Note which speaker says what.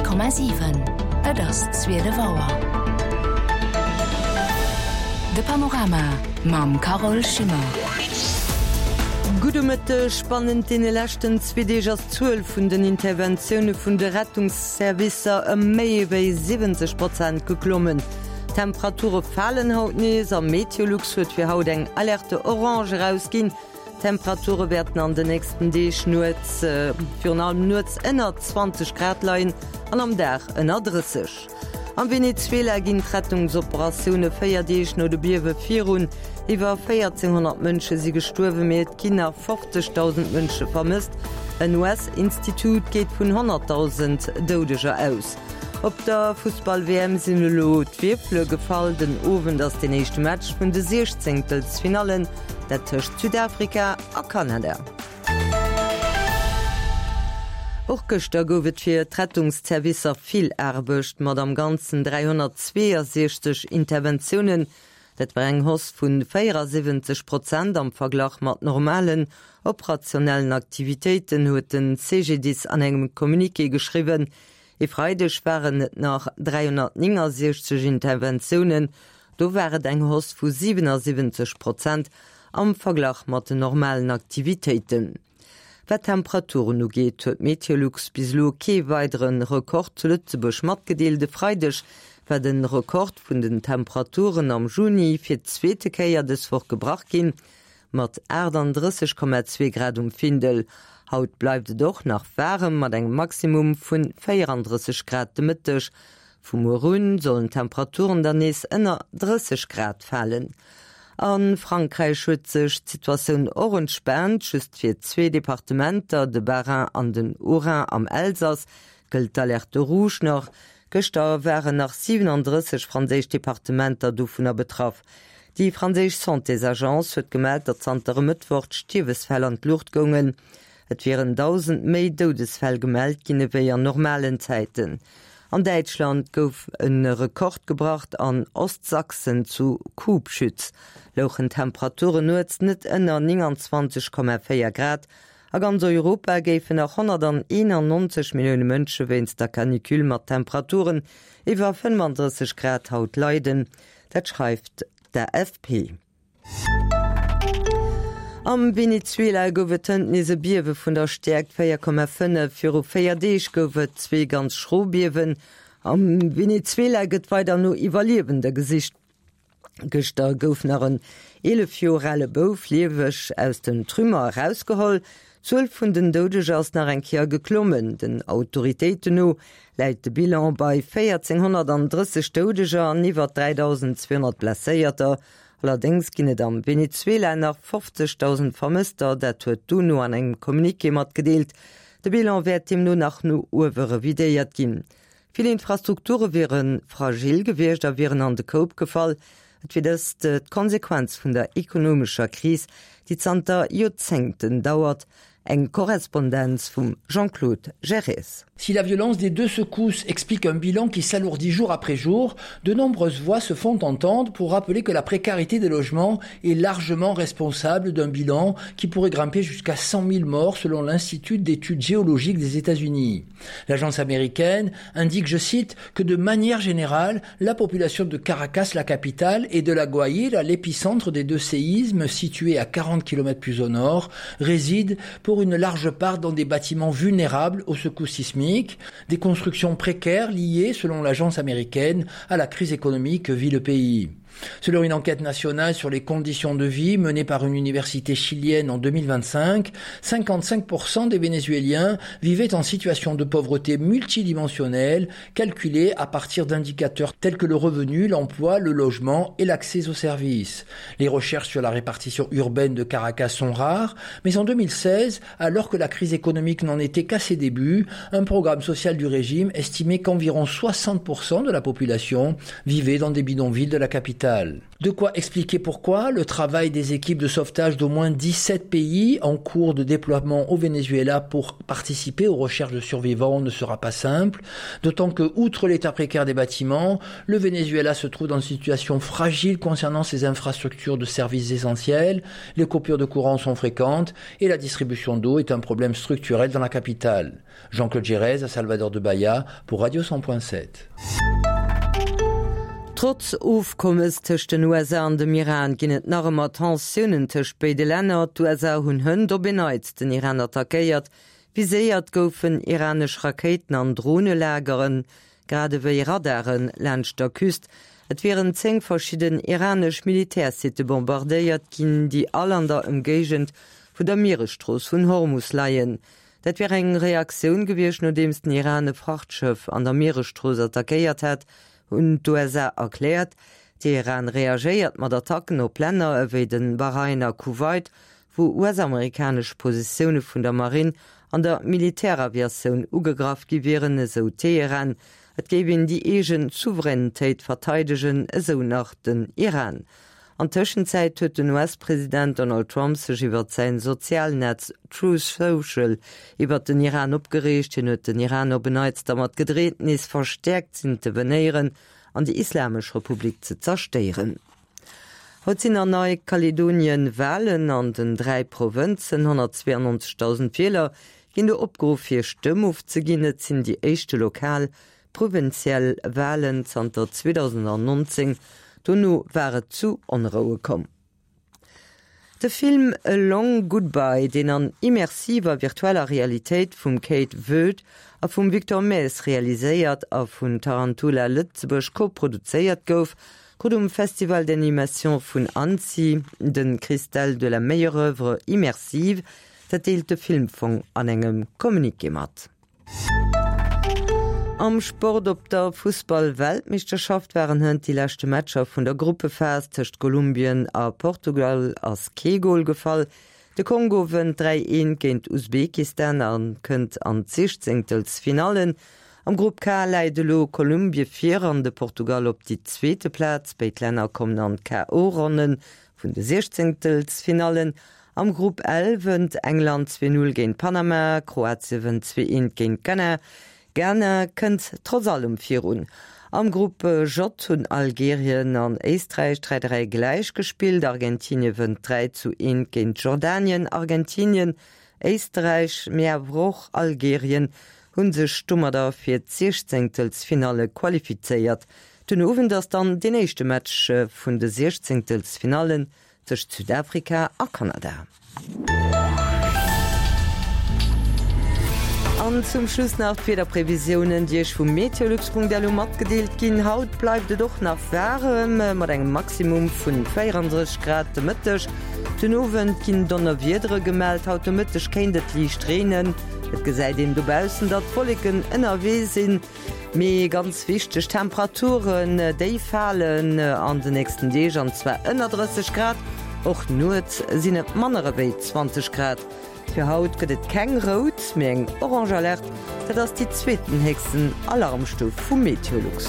Speaker 1: 100,7 Et ass 12 Auer. De Panorama mam Carole Schimmer.
Speaker 2: Gudde Mëtteg. Bannent deene leschten zwee Deeg ass d'Zuel vun den Interventioune vun de Rettungsservicer ëm méi ewéi 70 Prozent geklommen. D'Temperature falen haut nees a Meteolux huet fir haut eng Alerte orange erausginn. D'Temperature wäerten an den nächsten Deeg nuets, virun allem nuets ënner 20 Grad leien an am Dag ënner 30. Am Venezuela ginn d'Rettungsoperatioune 4 Deeg no de Biewe virun. Iwwer 1.400 Mënsche si gestuerwen, mee et ginn nach 50.000 Mënsche vermësst. En US-Institut geet vun 100.000 Doudeger aus. Op der Fussball-WM sinn elo d'Wierfele gefall. Den Owend ass den éischte Match vun de Siechzéngtelsfinallen, dat tëscht Südafrika a Kanada. Och gëschter gouf et fir d'Rettungszervicer vill Aarbecht, mat am Ganzen 362 Interventiounen. Dat war eng Hausse vu 74 Prozent am Verglach mat normalen operationellen Aktivitéiten, huet de CGDIS an engem Communiqué geschriwwen. E Freideg waren et nach 369 Interventiounen, do war et eng Hausse vu 77 Prozent am Verglach mat den normalen Aktivitéiten. Wat d'Temperaturen ugeet, huet Meteolux bis elo kee weidere Rekord zu Lëtzebuerg matgedeelt. E Freideg war de Rekord vun den Temperaturen am Juni fir d'zweete Kéier dës Woch gebrach ginn. Mat 38,2 Grad um Findel. Haut bleift et och nach waarem mat engem Maximum vun 34 Grad de Mëtteg. Vu muer un sollen d'Temperaturen dann nees ënner 30 Grad falen. A Frankräich huet sech d'Situatioun och entspaant. Just fir zwee Departementer, de Bas-Rhin an den Haut-Rhin am Elsass, gëllt d'Alerte rouge nach. Gëschter waren nach 37 franséisch Departementer dovunner betraff. Déi franséisch Santésagence huet gemellt, datt zanter e Mëttwoch d'Stierwesfäll an d'Luucht goungen. Et wieren 1.000 méi Doudesfäll gemellt ginn ewéi an normalen Zäiten. An Däitschland gouf e Rekord gebracht, An Ostsachsen zu Kubschütz louchen d'Temperaturen nuets net ënner 29,4 Grad. A ganz Europa géifen nach 191 Millioune Mënsche wéinst der Canicule mat Temperaturen iwwer 35 Grad haut leiden. Dat schreift d'AFP. Am Venezuela gouf et hënt nees e Biewe vun der Stäerkt 4,5. Viru 4 Deeg gouf et zwee ganz schro Biewen. Am Venezuela gëtt weider no Iwwerliewende gesicht. Gëschter gouf nach en 11 Joer ale Bouf lieweg aus den Trümmer erausgeholl. D'Zuel vun den Doudeger ass nach eng Kéier geklommen. Den Autoritéiten no läit de Bilan bei 1.430 Doudeger an iwwer 3.200 Blesséierter. Allerdéngs ginn et am Venezuela nach 50.000 Vermësster, dat huet d'UNO an engem Communiqué matgedeelt. De Bilan wäert deemno nach no uewe revidéiert ginn. Vill Infrastrukture wiere fragil gewiescht a wieren an de Koup gefall. Et wier dëst d'Konsequenz vun der ekonomescher Kris, déi zanter Joerzéngten dauert. Eng Korrespondenz vum Jean-Claude Gerez.
Speaker 3: Si la violence des deux secousses explique un bilan qui s'alourdit jour après jour, de nombreuses voix se font entendre pour rappeler que la précarité des logements est largement responsable d'un bilan qui pourrait grimper jusqu'à 100 000 morts selon l'Institut d'études géologiques des États-Unis. L'agence américaine indique, je cite, que de manière générale, la population de Caracas, la capitale, et de la Guaïre, l'épicentre des deux séismes situés à 40 km plus au nord, réside pour une large part dans des bâtiments vulnérables aux secousses sismiques, des constructions précaires liées, selon l'agence américaine, à la crise économique que vit le pays. Selon une enquête nationale sur les conditions de vie menée par une université chilienne en 2025, 55% des Vénézuéliens vivaient en situation de pauvreté multidimensionnelle, calculée à partir d'indicateurs tels que le revenu, l'emploi, le logement et l'accès aux services. Les recherches sur la répartition urbaine de Caracas sont rares, mais en 2016, alors que la crise économique n'en était qu'à ses débuts, un programme social du régime estimait qu'environ 60% de la population vivait dans des bidonvilles de la capitale. capitale. De quoi expliquer pourquoi le travail des équipes de sauvetage d'au moins 17 pays en cours de déploiement au Venezuela pour participer aux recherches de survivants ne sera pas simple, d'autant que, outre l'état précaire des bâtiments, le Venezuela se trouve dans une situation fragile concernant ses infrastructures de services essentiels, les coupures de courant sont fréquentes et la distribution d'eau est un problème structurel dans la capitale. Jean-Claude Gérez à Salvador de Bahia pour Radio 100.7.
Speaker 2: Trotz Ofkommes tëscht den USA an dem Iran ginn et nach ëmmer Tensiounen tëscht béide Länner. D'USA hunn hënt op en Neits den Iran attackéiert. Viséiert goufen iranesch Rakéiten an Dronelageren, grad ewéi Radare laanscht der Küst. Et wieren 10 verschidden iranesch Militärsitte bombardéiert ginn, déi all an der Ëmgéigend vun der Mieresstrooss vun Hormus leien. Dat wär eng Reaktioun gewiescht, nodeems den Iran e Frachtschëff an der Mieresstrooss attackéiert hätt, hunn d'USA erkläert. Teheran reagéiert mat Attacken op Länner ewéi de Bahrain a Kuwait, wou US-amerikanesch Positioune vun der Marinn an der Militäraviatioun ugegraff gi wieren, esou Teheran. Et géif een déi eegen Souveränitéit verteidegen, esou nach den Iran. An Tëschenzäit huet den US-President Donald Trump sech iwwert säin Sozialnetz Truth Social iwwert den Iran opgereegt. Hien huet den Iran op en Neits dermat gedreet, nees verstäerkt z'intevenéieren an déi Islamesch Republik ze zerstéieren. Haut sinn an Neikaledonien Walen an den 3 Provënzen. 192.000 Wieler ginn do opgeruff hir Stëmm ofzeginn. Et sinn déi éischte lokal Provinziell Walen zanter 2019, dono war et zu Onroue komm. De Film A Long Goodbye, deen an immersiver virtueller Realitéit vum Kate Voet a vum Victor Maes realiséiert a vun Tarantula Lëtzebuerg koproduzéiert gouf, krut um Festival d'Animation vun Annecy de Cristal de la meilleure œuvre immersive. Dat deelt de Filmfong an engem Communiqué mat. Am Sport Op der Fussball-Weltmeeschterschaft waren hënt déi leschte Matcher vun der Gruppephas. Tëscht Kolumbien a Portugal ass kee Gol gefall. De Kongo wënnt 3, 1 géint Usbekistan a kënnt an d'Siechzéngtelsfinallen. Am Grupp K läit elo Kolumbie vir an de Portugal op déi zweete Plaz. Béid Länner kommen an d'KO-Ronne vun de Siechzéngtelsfinallen. Am Grupp L wënnt England 2, 0 géint Panama, Kroatie wënnt 2, 1 géint Ghana. Ghana kënnt trotz allem virun. Am Grupp J hunn Algerien an Éisträich 3, 3 gläich gespillt. Argentinie wënnt 3 zu 1 géint Jordanien. Argentinien, Éisträich, mee awer och Algerien hu sech domadder fir d'Siechzéngtelsfinalle qualifizéiert. Den Owend ass dann deen éischte Match vun de Siechzéngtelsfinallen Tëscht Südafrika a Kanada. An zum Schluss nach d'Wiederprevisiounen, déi Iech vu meteolux.lu matgedeelt ginn. Haut bleift et och nach waarem, mat engem Maximum vun 34 Grad de Mëtteg. Den Owend ginn Donnerwiedere gemellt. Haut de Mëtteg kéint et liicht reenen. Et gesäit een dobaussen, datt d'Wolleken ënnerwee sinn. Mee ganz wichteg, D'Temperaturen, déi falen an de nächsten Deeg, an zwar ënner 30 Grad. Och nuets sinn et manner ewéi 20 Grad. Fir haut gëtt et keng rout, mee eng orange Alerte, dat ass déi zweeten héchsten Alarmstuf vu Meteolux.